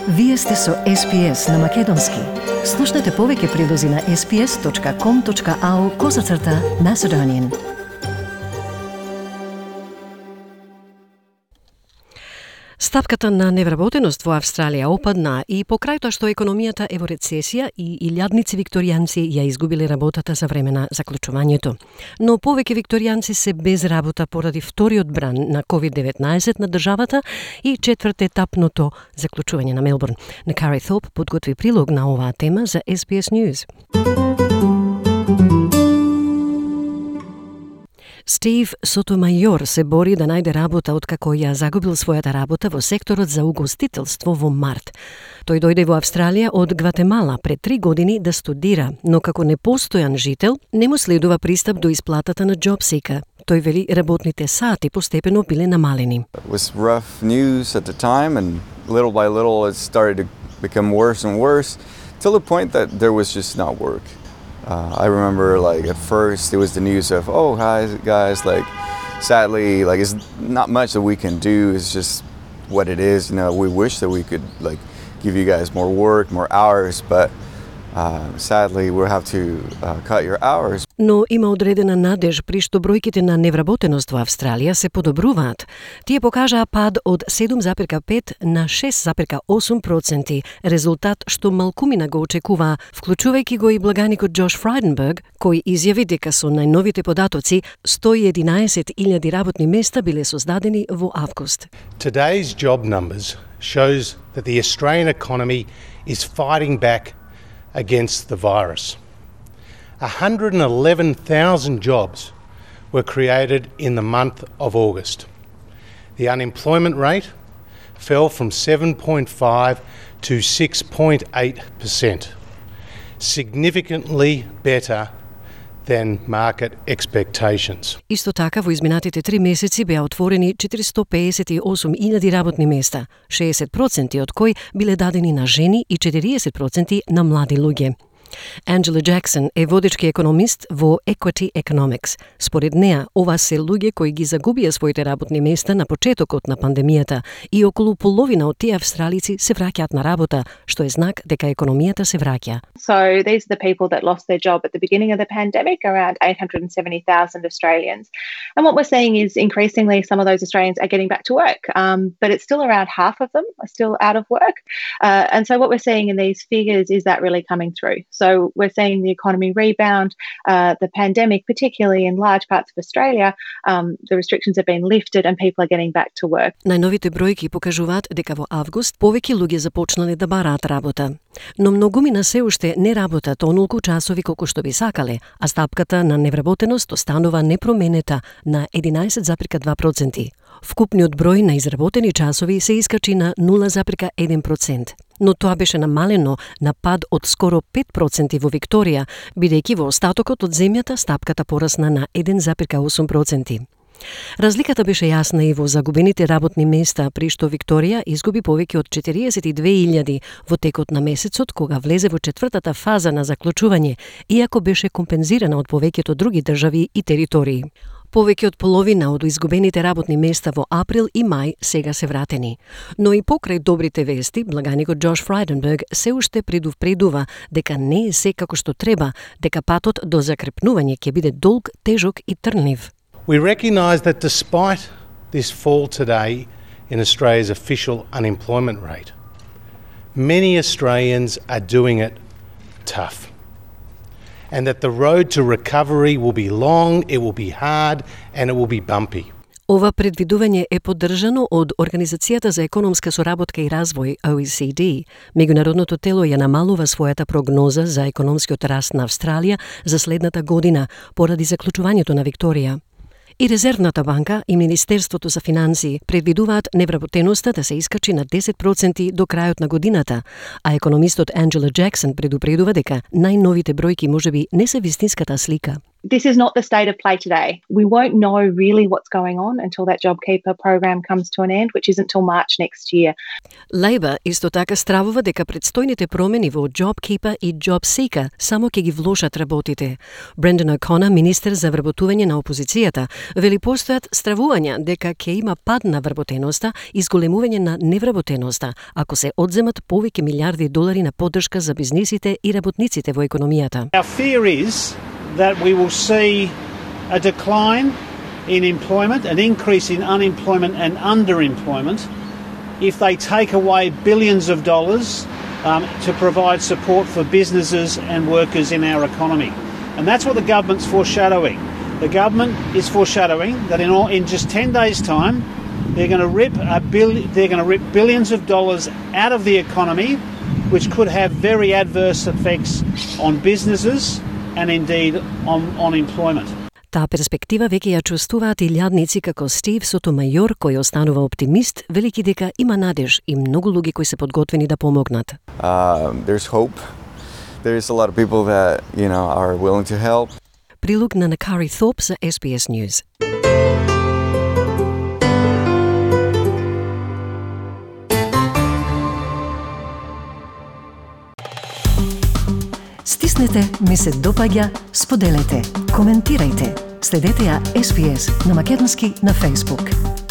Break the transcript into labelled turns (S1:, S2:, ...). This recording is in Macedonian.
S1: Вие сте со SPS на Македонски. Слушнете повеќе прилози на sps.com.au/Macedonian. Стапката на невработеност во Австралија опадна и покрај тоа што економијата е во рецесија и илјадници викторијанци ја изгубиле работата за време на заклучувањето. Но повеќе викторијанци се без работа поради вториот бран на COVID-19 на државата и четвртетапното заклучување на Мелбурн. Накари Thorpe подготви прилог на оваа тема за SBS News. Стив Сотомајор се бори да најде работа откако ја загубил својата работа во секторот за угостителство во март. Тој дојде во Австралија од Гватемала пред 3 години да студира, но како непостојан жител не му следува пристап до исплатата на JobSeeker. Тој вели работните сати постепено биле намалени.
S2: It was rough news at the time, and little by little it started to become worse and worse till the point that there was just not work. I remember, like, at first it was the news of, oh, hi guys, like, sadly, like, it's not much that we can do. It's just what it is. You know, we wish that we could, like, give you guys more work, more hours, but sadly we'll have to cut your hours.
S1: Но има одредена надеж при што бројките на невработеност во Австралија се подобруваат. Тие покажаа пад од 7,5 на 6,8%, резултат што малкумина го очекуваа, вклучувајќи го и благаникот Джош Фрайденберг, кој изјави дека со најновите податоци 111,000 работни места биле создадени во август.
S3: Today's job numbers shows that the Australian economy is fighting back against the virus. 111,000 jobs were created in the month of August. The unemployment rate fell from 7.5 to 6.8%, significantly better than market expectations.
S1: Исто така во изминатите 3 месеци беа отворени 458,000 работни места, 60% од кои биле дадени на жени и 40% на млади луѓе. Анджела Джексон е водечки економист во Equity Economics. Според неа, ова се луѓе кои ги загубија своите работни места на почетокот на пандемијата и околу половина од тие австралици се враќаат на работа, што е знак дека економијата се враќа.
S4: So these are the people that lost their job at the beginning of the pandemic, around 870,000 Australians. And what we're seeing is increasingly some of those Australians are getting back to work, but it's still around half of them are still out of work. And so what we're seeing in these figures is that really coming through. So we're seeing the economy rebound, the pandemic, particularly in large parts of Australia, the restrictions have been lifted and people are getting back to work.
S1: Најновите бројки покажуваат дека во август повеќе луѓе започнале да бараат работа. Но многумина се уште не работат онолку часови колку што би сакале, а стапката на невработеност останува непроменета на 11,2%. Вкупниот број на изработени часови се искачи на 0,1%. Но тоа беше намалено на пад од скоро 5% во Викторија, бидејќи во остатокот од земјата стапката порасна на 1,8%. Разликата беше јасна и во загубените работни места, при што Викторија изгуби повеќе од 42,000 во текот на месецот, кога влезе во четвртата фаза на заклучување, иако беше компензирана од повеќето други држави и територии. Повеќе од половина од изгубените работни места во април и мај сега се вратени. Но и покрај добрите вести, благаникот Джош Фрайденберг се уште предупредува дека не е се како што треба, дека патот до закрепнување ќе биде долг, тежок и трнлив.
S3: We recognise that despite this fall today in Australia's official unemployment rate, many Australians are doing it tough. And that the road to recovery will be long, it will be hard, and it will be bumpy.
S1: Ова предвидување е поддржано од Организацијата за економска соработка и развој OECD. Меѓународното тело ја намалува својата прогноза за економскиот раст на Австралија за следната година поради заклучувањето на Викторија. И Резервната банка и Министерството за финансии предвидуваат невработеноста да се искачи на 10% до крајот на годината, а економистот Анджела Джексон предупредува дека најновите бројки можеби не се вистинската слика.
S4: This is not the state of play today. We won't know really what's going on until that JobKeeper program comes to an end, which isn't till March next year.
S1: Лейбър исто така стравува дека предстојните промени во JobKeeper и JobSeeker само ќе ги влошат работите. Брендан О'Конер, министер за вработување на опозицијата, вели постојат стравувања дека ќе има пад на вработеноста и зголемување на невработеноста ако се одземат повеќе милиарди долари на поддршка за бизнисите и работниците во економијата.
S5: Our fear is that we will see a decline in employment, an increase in unemployment and underemployment if they take away billions of dollars to provide support for businesses and workers in our economy. And that's what the government's foreshadowing. The government is foreshadowing that in just 10 days' time, they're going to rip billions of dollars out of the economy, which could have very adverse effects on businesses and indeed on employment.
S1: Таа перспектива веќе ја чувствуваат и лјадници како Стив Сотомајор, кој останува оптимист, велики дека има надеж и многу луѓе кои се подготвени да помогнат.
S2: There's hope. There's a lot of people that, are willing to help.
S1: Прилог на Накари Thorpe за SBS News. Стиснете, ми се допаѓа, споделете, коментирајте. Следете ја SBS на македонски на Facebook.